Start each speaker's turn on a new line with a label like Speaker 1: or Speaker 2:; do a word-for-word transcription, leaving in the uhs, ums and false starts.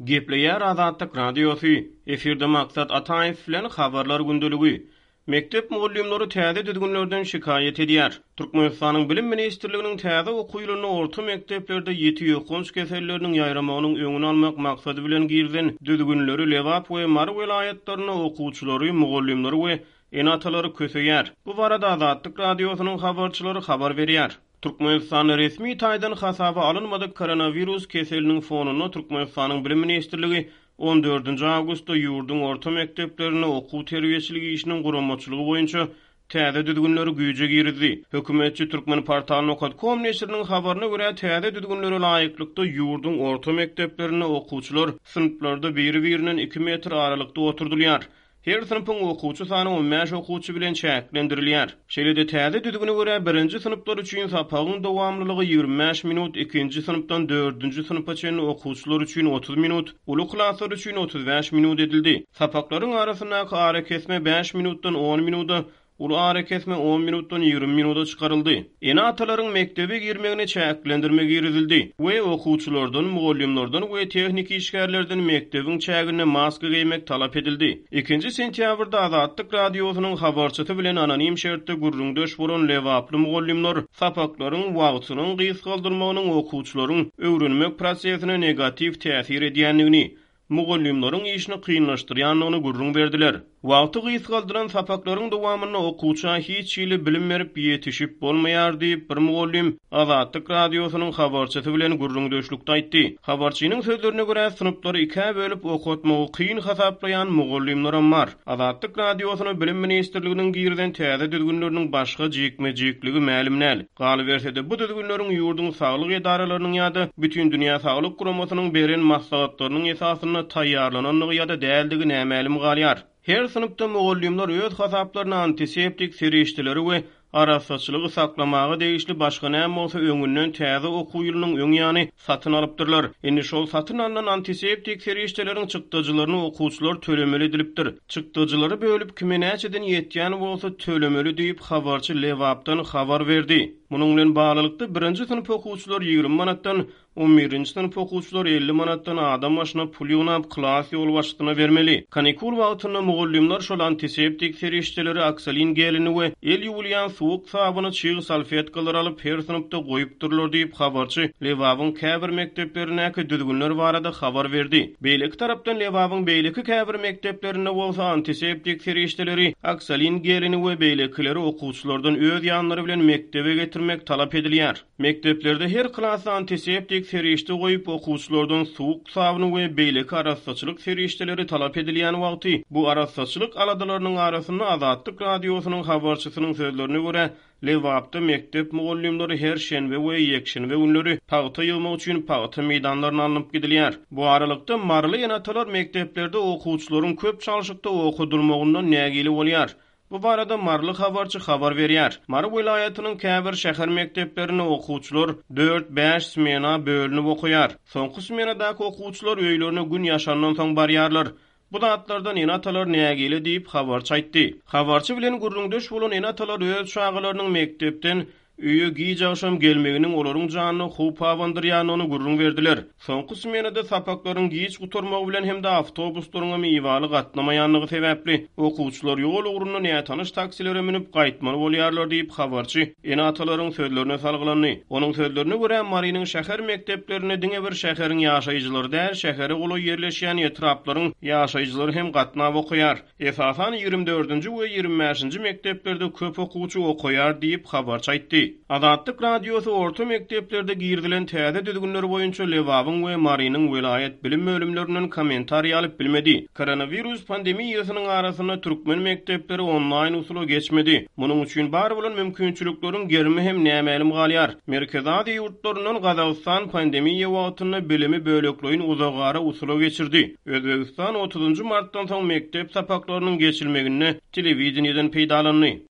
Speaker 1: Gepleýär Azatlyk Radiosy, efirde Maksat Ataýew bilen Habarlar gündeligi. Mekdep mugallymlary täze düzgünlerden şikaýat edýär. Türkmenistanyň Bilim ministrliginiň täze okuw ýylynda orta mekdeplerde ýiti ýokanç keselleriniň ýaýramagynyň öňüni almak maksady bilen girizen düzgünleri Lebap we Mary welaýatlarynda okuwçylary, mugallymlary we ene-atalary köseýär. Bu barada Azatlyk Radiosynyň habarçylary habar berýär. Türkmenistanda resmi taýdan hasaba alynmadyk koronawirus keseliniň fonunda Türkmenistanyň Bilim ministrligi on dördünji awgustda ýurduň orta mekdeplerinde okuw-terbiýeçilik işiniň guramaçylygy boýunça täze düzgünleri güýje girizdi. Hökümetçi Türkmenportal.com neşiriniň habaryna görä, täze düzgünlere laýyklykda ýurduň orta mekdeplerinde okuwçylar synplarda biri-birinden iki metr aralykda oturdylýar. Her synpyň okuwçy sany on bäş okuwçy bilen çäklendirilýär. Şeýle-de täze düzgüne görä birinji synplar üçin sapagyň dowamlylygy ýigrimi bäş minut, ikinji synpdan dördünji synpa çenli okuwçylar üçin otuz minut, uly klaslar üçin otuz bäş minut edildi. Sapaklaryň arasyndaky arakesme bäş minutdan on minuda, uly arakesme on minutdan ýigrimi minuda çykaryldy. Ene-atalaryň mekdebe girmegine çäklendirme girizildi we okuwçylardan, mugallymlardan we tehniki işgärlerden mekdebiň çäginde maska geýmek talap edildi. Ikinji sentýabrda Azatlyk Radiosynyň habarçysy bilen anonim şertde gürrüňdeş bolan Lebaply mugallymlar sapaklaryň wagtynyň gysgaldylmagynyň okuwçylaryň öwrenmek prosesine negatiw täsir edýändigini, mugallymlaryň işini kynlaşdyrýandygyny gürrüň berdiler. Wagty gysgaldylan sapaklaryň dowamynda okuwça hiç hili bilim berip ýetişip bolmaýar diýip bir mugallym Azatlyk Radiosynyň habarçysy bilen gürrüňdeşlikde aýtdy. Habarçynyň sözlerine görä synplary ikä bölüp okatmagy kyn hasaplaýan mugallymlaram bar. Azatlyk Radiosyna Bilim ministrliginiň girizen täze düzgünleriniň başga jikme-jikligi mälim däl. Galyberse-de bu düzgünleriň ýurduň saglyk edaralarynyň ýa-da Bütindünýä Saglyk Guramasynyň beren maslahatlarynyň esasynda taýýarlanandygy ýa-da däldigi nämälim galýar. Her synpda mugallymlar öz hasaplaryna antiseptik serişdeleri we arassaçylygy saklamaga degişli başga näme bolsa öňünden täze okuw ýylynyň öň ýany satyn alypdyrlar. Indi şol satyn alynan antiseptik serişdeleriň çykdajylaryny okuwçylar tölemeli edilipdir. Çykdajylary bölüp kime näçeden ýetýän bolsa tölemeli diýip habarçy Lebapdan habar berdi. Munuň bilen baglylykda birinji synp okuwçylar ýigrimi manatdan, on birinji synp okuwçylar elli manatdan adam başyna pul ýygnap klas ýolbaşçysyna bermeli. Kanikul wagtynda mugallymlar şol antiseptik serişdeleri, oksolin gelini we el ýuwulýan suwuk sabyny çyg salfetkalar alyp her synpda goýupdyrlar diýip habarçy Lebabyň käbir mekdeplerindäki düzgünler barada habar berdi. Beýleki tarapdan Lebabyň beýleki käbir mekdeplerinde bolsa antiseptik serişdeleri, oksolin gelini we beýlekileri okuwçylardan öz ýanlary bilen mekdebe getirmek talap edilýär. Mekdeplerde her klasda antiseptik serişde goýup okuwçylardan suwuk sabyny we beýleki arassaçylyk serişdeleri talap edilýän wagty bu arassaçylyk aladalarynyň arasynda Azatlyk Radiosynyň habarçysynyň sözlerine görä Lebapda mekdep mugallymlary her şenbe we ýekşenbe günleri pagta ýygmak üçin pagta meýdanlaryna alnyp gidilýär. Bu aralykda Maryly ene-atalar mekdeplerde okuwçylaryň köp çalşykda okadylmagyndan nägile bolýar. Bu barada Maryly habarçy habar berýär. Mary welaýatynyň käbir şäher mekdeplerinde okuwçylar dört bäş smena bölünip okaýar. Soňky smenadaky okuwçylar öýlerine gün ýaşandan soň barýarlar. Bu zatlardan ene-atalar nägile diýip habarçy aýtdy. Habarçy bilen gürrüňdeş bolan ene-atalar öz çagalarynyň mekdepden öýe giç agşam gelmeginiň olaryň janyna howp abandyrýandygyny gürrüň berdiler. Soňky smenada sapaklaryň giç gutarmagy bilen hem-de awtobuslaryň hem iwaly gatnamaýandygy sebäpli okuwçylar ýol ugrunda nätanyş taksilere münüp gaýtmaly bolýarlar diýip habarçy ene-atalaryň sözlerine salgylandy. Onuň sözlerine görä Marynyň şäher mekdeplerinde diňe bir şäheriň ýaşaýjylary däl, şähere golaý ýerleşýän etraplaryň ýaşaýjylary hem gatnap okaýar. Esasan ýigrimi dördünji we ýigrimi bäşinji mekdeplerde köp okuwçy okaýar diýip habarçy aýtdy. Azatlyk Radiosy orta mekdeplerde girizilen täze düzgünler boýunça Lebabyň we Marynyň welaýat bilim bölümlerinden kommentariý alyp bilmedi. Koronawirus pandemiýasynyň arasynda türkmen mekdepleri onlaýn usula geçmedi. Munuň üçin bar bolan mümkinçilikleriň gerimi hem nämälim galýar. Merkezi Aziýa ýurtlaryndan Gazagystan pandemiýa wagtynda bilimi bölekleýin uzagara usula geçirdi. Özbegistan otuzunjy martdan soň mekdep sapaklarynyň geçilmeginde telewideniýeden peýdalandy.